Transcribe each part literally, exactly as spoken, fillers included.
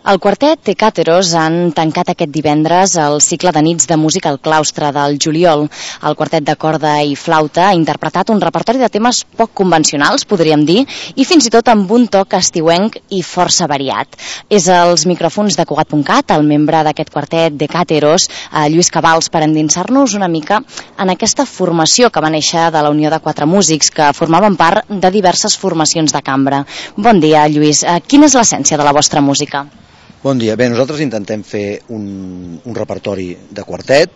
El quartet Tecateros han tancat aquest divendres el cicle de nits de música al claustre del juliol. El quartet de corda i flauta ha interpretat un repertori de temes poc convencionals, podríem dir, i fins i tot amb un toc estiuenc i força variat. És als micròfons de Cugat punt cat, el membre d'aquest quartet Tecateros, Lluís Cabals, per endinsar-nos una mica en aquesta formació que va néixer de la unió de quatre músics que formaven part de diverses formacions de cambra. Bon dia, Lluís. Quina és l'essència de la vostra música? Bon dia. Bé, nosaltres intentem fer un, un repertori de quartet,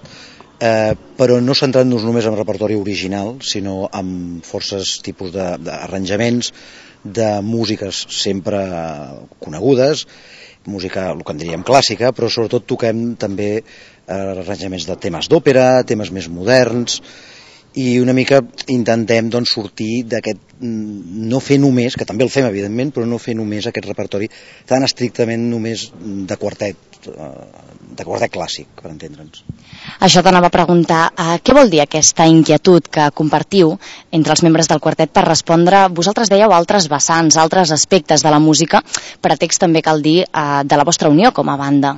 eh, però no centrant-nos només en repertori original, sinó en forces tipus d'arranjaments, de, de músiques sempre conegudes, música, el que en diríem clàssica, però sobretot toquem també eh, arranjaments de temes d'òpera, temes més moderns, i una mica intentem doncs, sortir d'aquest, no fer només, que també el fem evidentment, però no fer només aquest repertori tan estrictament només de quartet, de quartet clàssic, per entendre'ns. Això t'anava a preguntar, eh, què vol dir aquesta inquietud que compartiu entre els membres del quartet per respondre, vosaltres dèieu altres vessants, altres aspectes de la música, pretext també cal dir eh, de la vostra unió com a banda?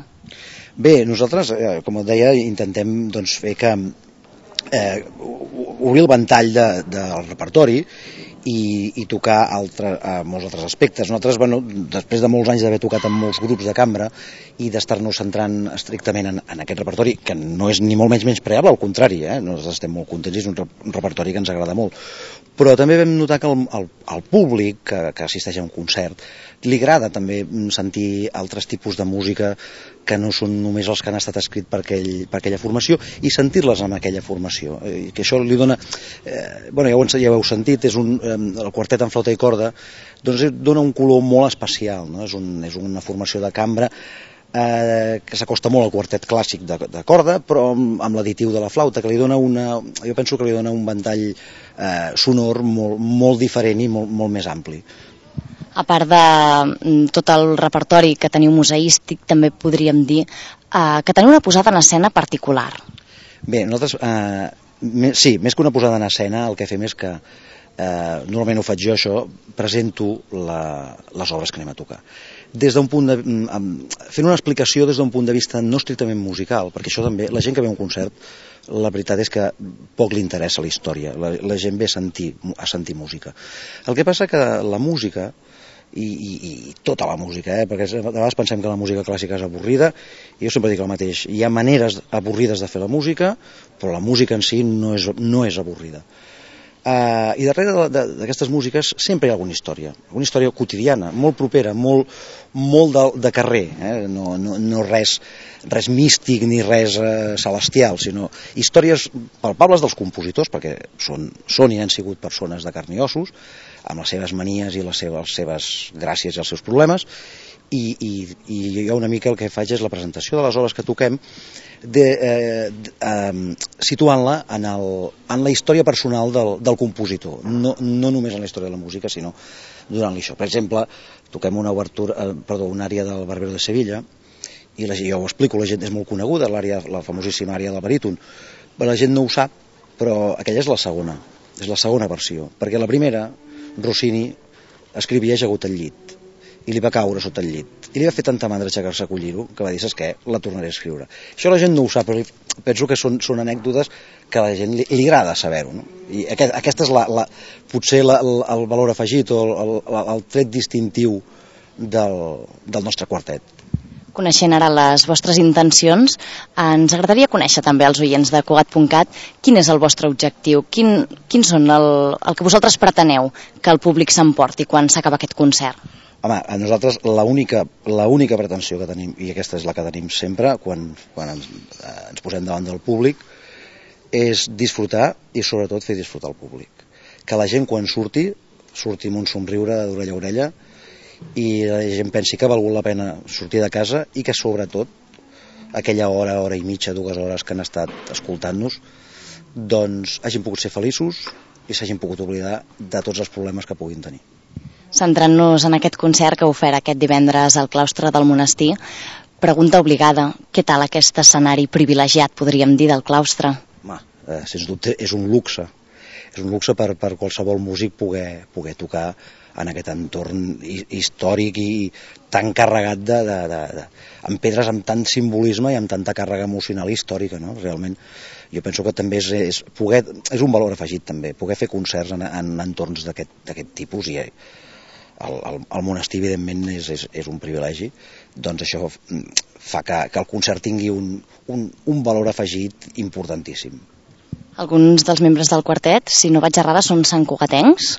Bé, nosaltres, eh, com et deia, intentem doncs, fer que Eh, obrir el ventall de, del repertori i, i tocar altre, eh, molts altres aspectes. Nosaltres, bueno, després de molts anys d'haver tocat en molts grups de cambra i d'estar-nos centrant estrictament en, en aquest repertori, que no és ni molt menys menyspreable, al contrari, eh? Nosaltres estem molt contents, és un, un repertori que ens agrada molt. Però també vam notar que el, el, el públic que, que assisteix a un concert li agrada també sentir altres tipus de música que no són només els que han estat escrits per, aquell, per aquella formació i sentir-les en aquella formació. Eh, que això li dona, eh, bueno, ja ho, ja ho heu sentit, és un, eh, el quartet en flauta i corda, doncs dona un color molt especial, no? És, un, és una formació de cambra eh, que s'acosta molt al quartet clàssic de, de corda, però amb, amb l'additiu de la flauta, que li dona una, jo penso que li dona un ventall eh, sonor molt, molt diferent i molt, molt més ampli. A part de tot el repertori que teniu museístic, també podríem dir eh, que teniu una posada en escena particular. Bé, nosaltres, eh, me, sí, més que una posada en escena, el que fem és que, eh, normalment ho faig jo això, presento la, les obres que anem a tocar. Des d'un punt de, fent una explicació des d'un punt de vista no estrictament musical, perquè això també, la gent que ve a un concert, la veritat és que poc li interessa la història, la, la gent ve a sentir, a sentir música. El que passa que la música, i, i, i tota la música, eh? Perquè de vegades pensem que la música clàssica és avorrida, i jo sempre dic el mateix, hi ha maneres avorrides de fer la música, però la música en si no és, no és avorrida. Uh, I darrere d'aquestes músiques sempre hi ha alguna història, alguna història quotidiana, molt propera, molt, molt de, de carrer, eh? no, no, no res, res místic ni res uh, celestial, sinó històries palpables dels compositors, perquè són, són i han sigut persones de carn i ossos, amb les seves manies i les seves, les seves gràcies i els seus problemes, i, i, i jo una mica el que faig és la presentació de les obres que toquem, de, eh, eh, situant-la en, el, en la història personal del, del compositor, no, no només en la història de la música, sinó donant-li això. Per exemple, toquem una obertura, eh, perdó, una àrea del Barbero de Sevilla, i la, jo ho explico, la gent és molt coneguda, l'àrea, la famosíssima àrea del baríton, però la gent no ho sap, però aquella és la segona, és la segona versió, perquè la primera, Rossini escrivia ajagut al llit, i li va caure sota el llit, i li va fer tanta mandra aixecar-se a collir-ho que va dir, saps què, la tornaré a escriure. Això la gent no ho sap, però penso que són, són anècdotes que a la gent li, li agrada saber-ho, no? I aquest, aquesta és la, la, potser la, el, el valor afegit o el, el, el tret distintiu del, del nostre quartet. Coneixent ara les vostres intencions, ens agradaria conèixer també als oients de Cugat punt cat quin és el vostre objectiu, quin, quin són el, el que vosaltres preteneu que el públic s'emporti quan s'acaba aquest concert. Home, a nosaltres l'única l'única pretensió que tenim, i aquesta és la que tenim sempre quan, quan ens, eh, ens posem davant del públic, és disfrutar i sobretot fer disfrutar el públic. Que la gent quan surti, surti amb un somriure d'orella a orella, i la gent pensi que ha valgut la pena sortir de casa i que sobretot aquella hora, hora i mitja, dues hores que han estat escoltant-nos, doncs hagin pogut ser feliços i s'hagin pogut oblidar de tots els problemes que puguin tenir. Centrant-nos en aquest concert que heu fet aquest divendres al claustre del monestir, pregunta obligada, què tal aquest escenari privilegiat, podríem dir, del claustre? Home, eh, sens dubte és un luxe. és un luxe per, per qualsevol músic poder, poder tocar en aquest entorn històric i tan carregat de, de, de, de, amb pedres amb tant simbolisme i amb tanta càrrega emocional i històrica, no? Realment jo penso que també és, és, poder, és un valor afegit també, poder fer concerts en, en entorns d'aquest tipus, i el, el, el monestir evidentment és, és, és un privilegi, doncs això fa que, que el concert tingui un, un, un valor afegit importantíssim. Alguns dels membres del quartet, si no vaig errada, són santcugatencs.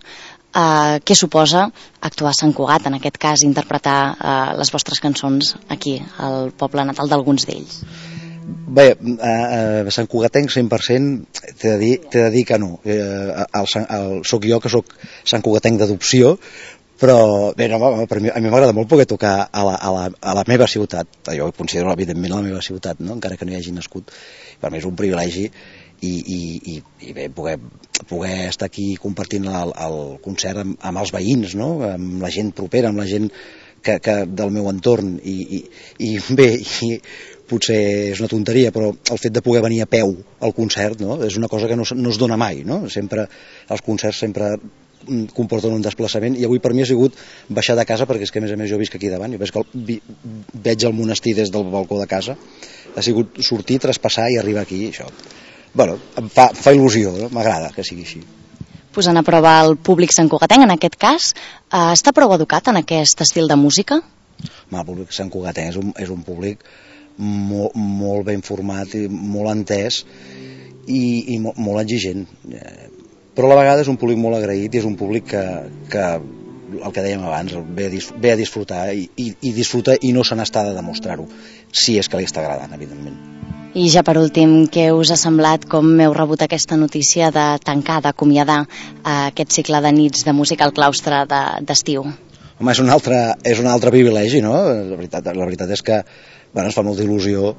Uh, què suposa actuar a Sant Cugat, en aquest cas interpretar uh, les vostres cançons aquí, al poble natal d'alguns d'ells? Bé, a Sant Cugatenc cent per cent t'he de dir, t'he de dir que no. Eh, el, el, soc jo que soc Sant Cugatenc d'adopció, però bé, no, per mi, a mi m'agrada molt poder tocar a la, a, la, a la meva ciutat. Jo ho considero evidentment la meva ciutat, no? Encara que no hi hagi nascut. Per mi és un privilegi i, i, i, i bé, poder, poder estar aquí compartint el, el concert amb, amb els veïns, no? Amb la gent propera, amb la gent que, que del meu entorn, i, i, i bé, i potser és una tonteria, però el fet de poder venir a peu al concert, no? És una cosa que no, no es dona mai, no? Sempre, els concerts sempre comporten un desplaçament, i avui per mi ha sigut baixar de casa, perquè és que a més a més jo visc aquí davant, jo veig, que el, veig el monestir des del balcó de casa, ha sigut sortir, traspassar i arribar aquí, això, bueno, em fa, fa il·lusió, no? M'agrada que sigui així. Posant a prova el públic santcugatenc, en aquest cas, eh, està prou educat en aquest estil de música? El públic santcugatenc és un, és un públic molt, molt ben format i molt entès i, i molt, molt exigent, però a la vegada és un públic molt agraït, i és un públic que, que el que dèiem abans, ve a, ve a disfrutar i, i, i disfruta i no se n'està de demostrar-ho, si és que li està agradant, evidentment. I ja per últim, què us ha semblat, com heu rebut aquesta notícia de tancar, d'acomiadar aquest cicle de nits de música al claustre d'estiu? Home, és un altre, és un altre privilegi, no? La veritat, la veritat és que bueno, ens fa molta il·lusió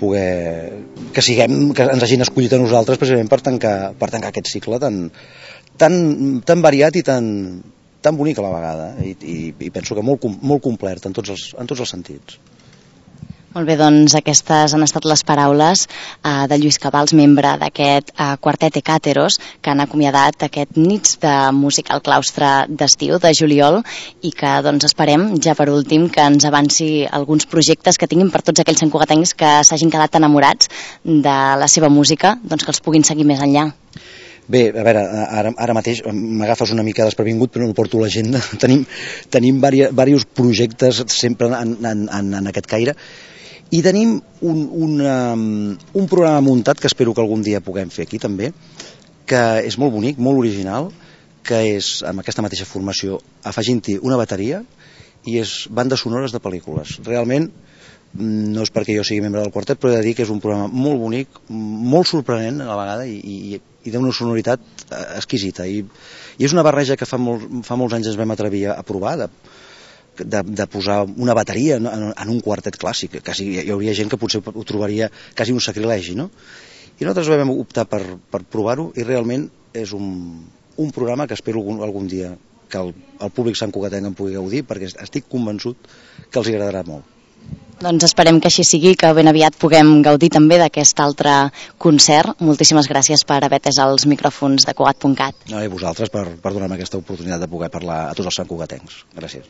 poder, que siguem, que ens hagin escollit a nosaltres precisament per tancar, per tancar aquest cicle tan, tan, tan variat i tan, tan bonic a la vegada, i, i, i penso que molt, molt complet en tots els, en tots els sentits. Molt bé, doncs aquestes han estat les paraules eh, de Lluís Cabals, membre d'aquest eh, quartet Ecàteros, que han acomiadat aquest nits de música al claustre d'estiu de juliol, i que doncs esperem, ja per últim, que ens avanci alguns projectes que tinguin per tots aquells santcugatencs que s'hagin quedat enamorats de la seva música, doncs que els puguin seguir més enllà. Bé, a veure, ara, ara mateix m'agafes una mica desprevingut, però no porto l'agenda. Tenim, tenim diversos projectes sempre en, en, en, en aquest caire, i tenim un, un, um, un programa muntat que espero que algun dia puguem fer aquí també, que és molt bonic, molt original, que és amb aquesta mateixa formació, afegint-hi una bateria, i és bandes sonores de pel·lícules. Realment, no és perquè jo sigui membre del quartet, però he de dir que és un programa molt bonic, molt sorprenent a la vegada, i, i, i d'una sonoritat exquisita. I, i és una barreja que fa, molt, fa molts anys ens vam atrevir a provar, de, de, de posar una bateria en, en un quartet clàssic. Quasi, hi hauria gent que potser ho trobaria quasi un sacrilegi, no? I nosaltres vam optar per, per provar-ho, i realment és un, un programa que espero algun, algun dia que el, el públic santcugatenc en pugui gaudir, perquè estic convençut que els agradarà molt. Doncs esperem que així sigui, que ben aviat puguem gaudir també d'aquest altre concert. Moltíssimes gràcies per haver atès els micròfons de Cugat punt cat. No, i vosaltres per, per donar-me aquesta oportunitat de poder parlar a tots els santcugatencs. Gràcies.